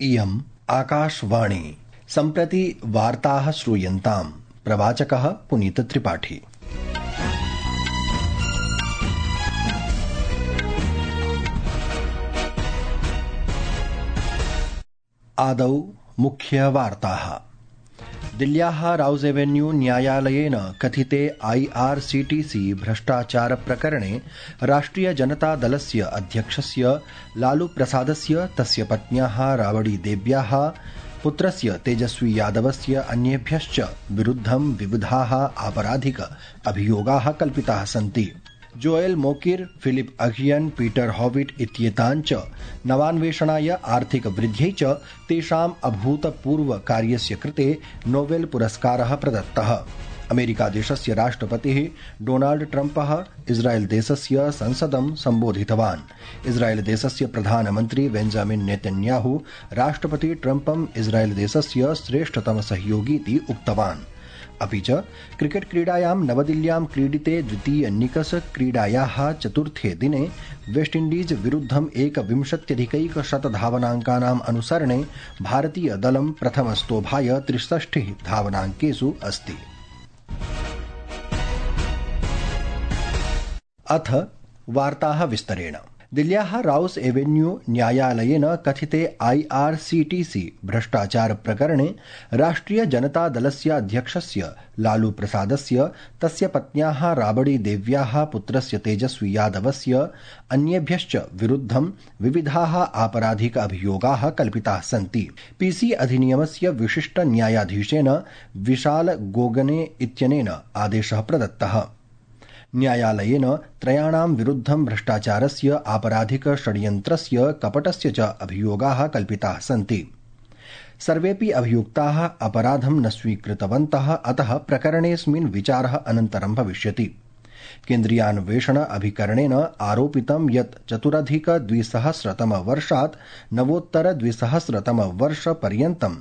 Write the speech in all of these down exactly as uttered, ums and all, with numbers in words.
इयम् आकाशवाणी। सम्प्रति वार्ताः श्रूयन्ताम्। प्रवाचकः पुनीतत्रिपाठी। आदौ मुख्यवार्ताः। दिल्ल्याः राउज एवेन्यू न्यायालयेन कथिते आईआरसीटीसी भ्रष्टाचार प्रकरणे राष्ट्रिय जनता दलस्य अध्यक्षस्य लालू प्रसादस्य तस्य पत्न्याः राबड़ी देव्याः पुत्रस्य तेजस्वी यादवस्य अन्येभ्यश्च विरुद्धं विविधाः आपराधिक अभियोगाः कल्पिताः सन्ति। जोएल मोकिर, फिलिप अघियन, पीटर हॉविट इत्येतान् च नवान्वेषणाय आर्थिक वृद्ध्यै च तेषाम् अभूतपूर्व कार्यस्य कृते नोबेल पुरस्कारः प्रदत्तः। अमेरिका देशस्य राष्ट्रपतिः डोनाल्ड ट्रम्पः इस्राएल देशस्य संसदं सम्बोधितवान्। इस्राएल देशस्य प्रधानमन्त्री बेंजामिन नेतन्याहू राष्ट्रपति ट्रम्पं इस्राएल देशस्य श्रेष्ठतम सहयोगीति उक्तवान्। अपि च क्रिकेट क्रीडायां नवदिल्ल्यां क्रीडिते द्वितीय निकष क्रीडायाः चतुर्थे दिने वेस्टइण्डीज विरुद्धं एकविंशत्यधिकैकशत धावनाङ्कानाम् अनुसरणे भारतीय दलं प्रथमस्तोभाय त्रिषष्टिः धावनाङ्केषु अस्ति। अथ वार्ताः विस्तरेण। दिल्ल्याः राउस एवेन्यू न्यायालयेन कथिते आईआरसीटीसी भ्रष्टाचार प्रकरणे राष्ट्रिय जनता दलस्य अध्यक्षस्य लालू प्रसादस्य तस्य पत्न्याः राबड़ी देव्याः पुत्रस्य तेजस्वी यादवस्य अन्येभ्यश्च विरुद्धं विविधाः आपराधिक अभियोगाः कल्पिताः सन्ति। पीसी अधिनियमस्य विशिष्ट न्यायाधीशेन विशाल गोगने इत्यनेन आदेशः प्रदत्तः। न्यायालयेन त्रयाणां विरुद्धं भ्रष्टाचारस्य आपराधिक षड्यन्त्रस्य कपटस्य च अभियोगाः कल्पिताः सन्ति। सर्वेऽपि अभियुक्ताः अपराधं न स्वीकृतवन्तः, अतः प्रकरणेऽस्मिन् विचारः अनन्तरं भविष्यति। केन्द्रीयान्वेषण अभिकरणेन आरोपितं यत् चतुरधिक द्विसहस्रतम वर्षात् नवोत्तर द्विसहस्रतम वर्ष पर्यन्तं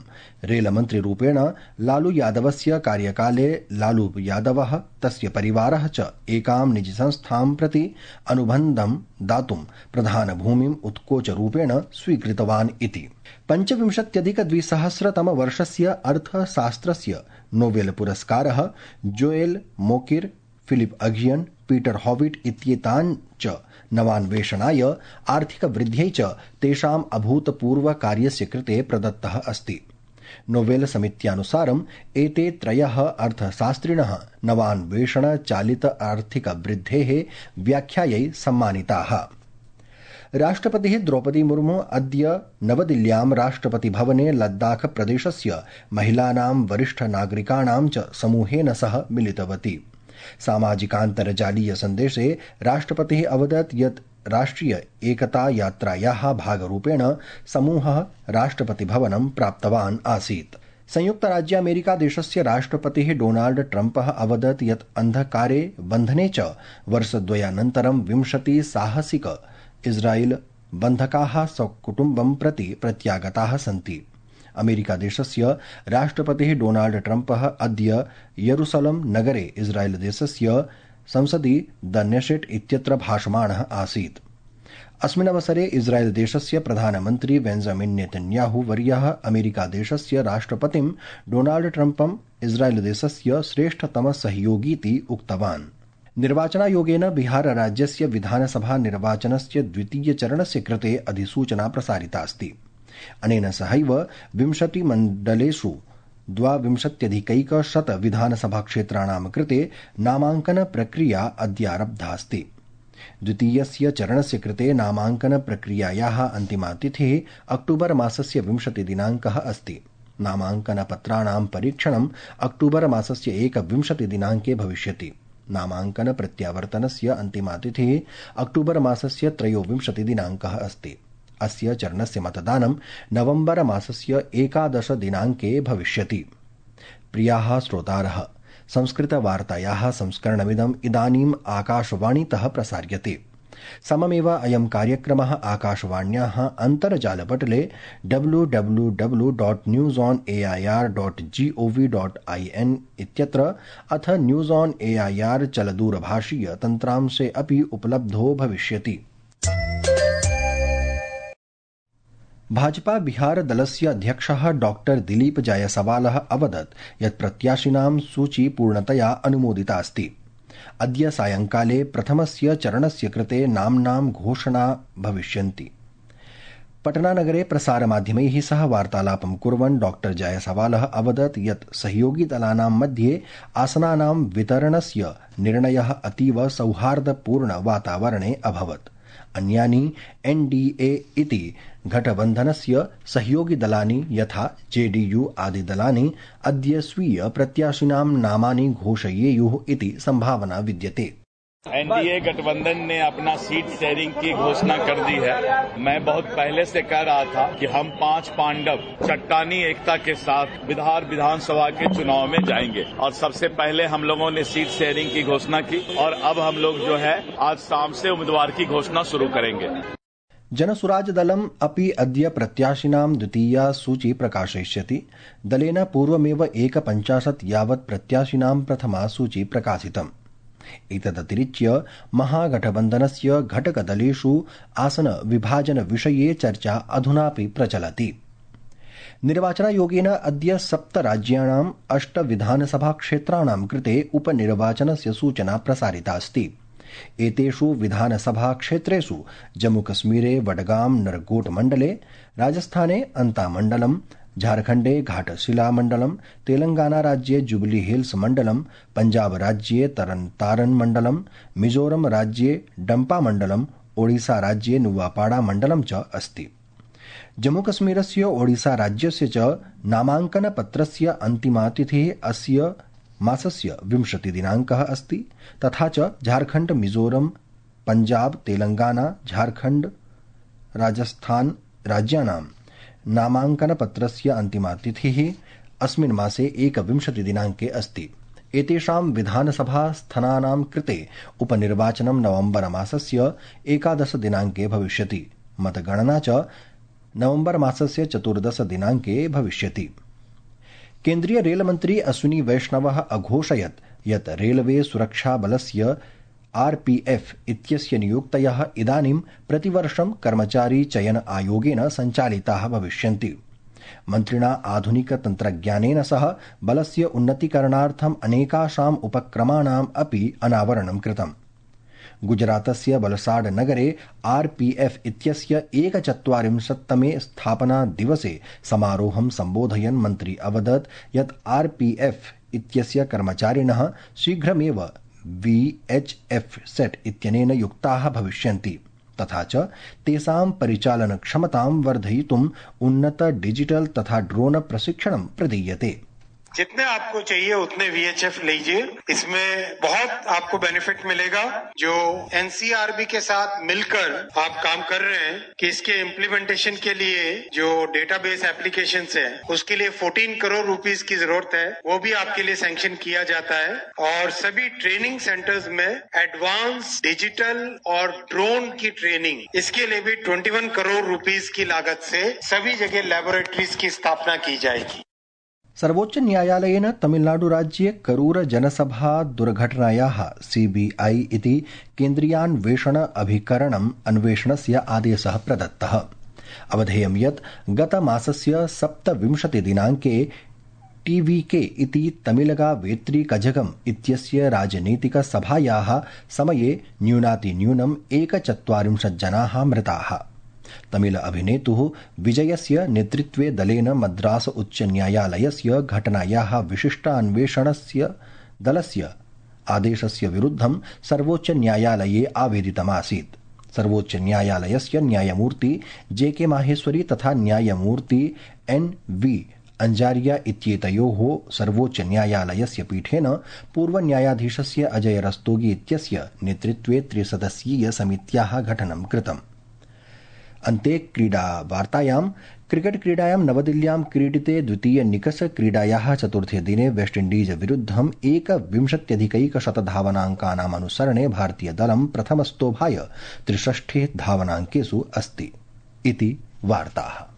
रेलमन्त्रिरूपेण लालू यादवस्य कार्यकाले लालू यादवः तस्य परिवारः च एकां निजीसंस्थां प्रति अनुबन्धं दातुं प्रधानभूमिम् उत्कोचरूपेण स्वीकृतवान् इति। पञ्चविंशत्यधिक द्विसहस्रतम वर्षस्य अर्थशास्त्रस्य नोबेल पुरस्कारः जोएल मोकिर, फिलिप अघियन, पीटर हॉविट इत्येतान् च नवान्वेषणाय आर्थिक वृद्ध्यै च तेषाम् अभूतपूर्व कार्यस्य कृते प्रदत्तः अस्ति। नोबेल समित्यानुसारम् एते त्रयः अर्थशास्त्रिणः नवान्वेषण चालित आर्थिक वृद्धेः व्याख्यायै सम्मानिताः। राष्ट्रपतिः द्रौपदी मुर्मू अद्य नवदिल्ल्यां राष्ट्रपति भवने लद्दाख प्रदेशस्य महिलानां वरिष्ठ नागरिकाणां च समूहेन सह मिलितवती। सामाजिकान्तर्जालीय सन्देशे राष्ट्रपतिः अवदत् यत् राष्ट्रिय एकता यात्रायाः भागरूपेण समूहः राष्ट्रपति भवनं प्राप्तवान् आसीत्। संयुक्तराज्यामेरिका देशस्य राष्ट्रपतिः डोनाल्ड ट्रम्पः अवदत् यत् अन्धकारे बन्धने च वर्षद्वयानन्तरं विंशति साहसिक इस्राएल बन्धकाः स्वकुटुम्बं प्रति प्रत्यागताः सन्ति। अमेरिका देशस्य राष्ट्रपतिः डोनाल्ड ट्रम्पः अद्य यरूशलं नगरे इस्राएल देशस्य संसदि द नेशेट इत्यत्र भाषमाणः आसीत्। अस्मिन् अवसरे इस्राएल देशस्य प्रधानमन्त्री बेंजामिन नेतन्याहू वर्यः अमेरिका देशस्य राष्ट्रपतिं डोनाल्ड ट्रम्पं इस्राएल देशस्य श्रेष्ठतम सहयोगीति उक्तवान्। निर्वाचनायोगेन बिहार राज्यस्य विधानसभा निर्वाचनस्य द्वितीय चरणस्य कृते अधिसूचना प्रसारिता अस्ति। अनेन सहैव विंशति मण्डलेषु द्वाविंशत्यधिकैकशत विधानसभा क्षेत्राणां कृते नामाङ्कन प्रक्रिया अद्यारब्धास्ति। द्वितीयस्य चरणस्य कृते नामाङ्कन प्रक्रियायाः अन्तिमा तिथिः अक्टूबर मासस्य विंशति दिनाङ्कः अस्ति। नामाङ्कनपत्राणां परीक्षणम् अक्टूबर मासस्य एकविंशति दिनाङ्के भविष्यति। नामाङ्कन प्रत्यावर्तनस्य अन्तिमा तिथिः अक्टूबर मासस्य त्रयोविंशति दिनाङ्कः अस्ति। अस्य चरणस्य मतदानं नवम्बर मासस्य एकादश दिनाङ्के भविष्यति। प्रियाः श्रोतारः, संस्कृतवार्तायाः संस्करणमिदम् इदानीम् आकाशवाणीतः प्रसार्यते। सममेव अयं कार्यक्रमः आकाशवाण्याः अन्तर्जालपटले W W W dot news on A I R dot G O V dot I N इत्यत्र अथ news on A I R चलदूरभाषीय तन्त्रांशे अपि उपलब्धो भविष्यति। भाजपा बिहार दलस्य अध्यक्षः डॉक्टर दिलीप जायसवालः अवदत् यत् प्रत्याशिनां सूची पूर्णतया अनुमोदिता अस्ति। अद्य सायंकाले प्रथमस्य चरणस्य कृते नाम्नां घोषणा भविष्यन्ति। पटनानगरे प्रसारमाध्यमैः सह वार्तालापं कुर्वन् डॉक्टर जायसवालः अवदत् यत् सहयोगिदलानां मध्ये आसनानां वितरणस्य निर्णयः अतीव सौहार्दपूर्ण वातावरणे अभवत्। अन्यानि एनडीए इति गठबन्धनस्य सहयोगिदलानि यथा जेडीयू आदिदलानि अद्य स्वीय प्रत्याशिनां नामानि घोषयेयुः इति संभावना विद्यते। एनडीए गठबंधन ने अपना सीट शेयरिंग की घोषणा कर दी है। मैं बहुत पहले से कह रहा था कि हम पांच पांडव चट्टानी एकता के साथ बिहार विधानसभा के चुनाव में जाएंगे और सबसे पहले हम लोगों ने सीट शेयरिंग की घोषणा की और अब हम लोग जो है आज शाम से उम्मीदवार की घोषणा शुरू करेंगे। जनसुराजदलम् अपि अद्य प्रत्याशिनां द्वितीया सूची प्रकाशयिष्यति। दलेन पूर्वमेव एकपञ्चाशत् यावत् प्रत्याशिनां प्रथमा सूची प्रकाशितम्। एतदतिरिच्य महागठबन्धनस्य घटकदलेषु आसन विभाजन विषये चर्चा अधुनापि प्रचलति। निर्वाचनायोगेन अद्य सप्त राज्याणाम् अष्ट विधानसभा क्षेत्राणां कृते उपनिर्वाचनस्य सूचना प्रसारिता अस्ति। एतेषु विधानसभा क्षेत्रेषु जम्मूकश्मीरे वडगाम नरकोट मण्डले, राजस्थाने अंतामण्डलम्, झारखण्डे घाटशिला मण्डलम्, तेलंगाना राज्ये जुबली हिल्स मण्डलम्, पंजाब राज्ये तरन तारन मण्डलम्, मिजोरम राज्ये डम्पा मण्डलम्, ओडिशा राज्ये नुवापाड़ा मण्डलम् च अस्ति। जम्मूकश्मीरस्य ओडिशा राज्यस्य च नामाङ्कनपत्रस्य अन्तिमा तिथिः अस्य मासस्य विंशति दिनाङ्कः अस्ति। तथा च झारखण्ड, मिजोरम, पंजाब, तेलंगाना, झारखण्ड, राजस्थान राज्यानां नामाङ्कनपत्रस्य अन्तिमा तिथिः अस्मिन् मासे एकविंशति दिनाङ्के अस्ति। एतेषां विधानसभा स्थानानां कृते उपनिर्वाचनं नवम्बर मासस्य एकादश दिनाङ्के भविष्यति। मतगणना च नवम्बर मासस्य चतुर्दश दिनाङ्के भविष्यति। केन्द्रीय रेलमन्त्री अश्विनी वैष्णवः अघोषयत् यत् रेलवे सुरक्षाबलस्य आरपीएफ इत्यस्य नियुक्तयः इदानीं प्रतिवर्षं कर्मचारी चयन आयोगेन सञ्चालिताः भविष्यन्ति। मन्त्रिणा आधुनिक तन्त्रज्ञानेन सह बलस्य उन्नतीकरणार्थम् अनेकाषाम् उपक्रमाणाम् अपि अनावरणं कृतम्। गुजरातस्य वलसाड नगरे आरपीएफ इत्यस्य एकचत्वारिंशत्तमे स्थापना दिवसे समारोहं सम्बोधयन् मन्त्री अवदत् यत् आरपीएफ इत्यस्य कर्मचारिणः शीघ्रमेव वीएचएफ सेट इत्यनेन युक्ताः भविष्यन्ति। तथा च तेषां परिचालनक्षमतां वर्धयितुम् उन्नत डिजिटल तथा ड्रोन प्रशिक्षणं प्रदीयते। जितने आपको चाहिए उतने वीएचएफ लीजिए, इसमें बहुत आपको बेनिफिट मिलेगा। जो एनसीआरबी के साथ मिलकर आप काम कर रहे हैं कि इसके इम्प्लीमेंटेशन के लिए जो डेटाबेस एप्लीकेशंस है उसके लिए चौदह करोड़ रुपीस की जरूरत है, वो भी आपके लिए सैंक्शन किया जाता है। और सभी ट्रेनिंग सेंटर्स में एडवांस डिजिटल और ड्रोन की ट्रेनिंग, इसके लिए भी इक्कीस करोड़ रुपीस की लागत से सभी जगह लैबोरेटरीज की स्थापना की जाएगी। सर्वोच्च न्यायालयेन तमिलनाडु राज्ये करूर जनसभा दुर्घटनायाः सीबीआई इति केन्द्रीयान्वेषण अभिकरणम् अन्वेषणस्य आदेशः प्रदत्तः। अवधेयं यत् गतमासस्य सप्तविंशति दिनाङ्के टीवीके इति तमिलगा वेत्री कझगम इत्यस्य राजनीतिक सभायाः समये न्यूनातिन्यूनम् एकचत्वारिंशत् जनाः मृताः। तमिल अभिनेतुः विजयस्य नेतृत्वे दलेन मद्रास उच्च न्यायालयस्य घटनायाः विशिष्टान्वेषणस्य दलस्य आदेशस्य विरुद्धं सर्वोच्च न्यायालये आवेदितमासीत्। सर्वोच्च न्यायालयस्य न्यायमूर्ति जे के माहेश्वरी तथा न्यायमूर्ति एन वी अंजारिया इत्येतयोः सर्वोच्च न्यायालयस्य पीठेन पूर्वन्यायाधीशस्य अजय रस्तोगी इत्यस्य नेतृत्वे त्रिसदस्यीय समित्याः गठनं कृतम्। अन्ते क्रीडा वार्तायां क्रिकेट क्रीडायां नवदिल्ल्यां क्रीडिते द्वितीय निकष क्रीडायाः चतुर्थे दिने वेस्टइण्डीज विरुद्धम् एकविंशत्यधिकैकशत धावनाङ्कानाम् अनुसरणे भारतीयदलं प्रथमस्तोभाय त्रिषष्ठे धावनाङ्केषु अस्ति इति वार्ताः।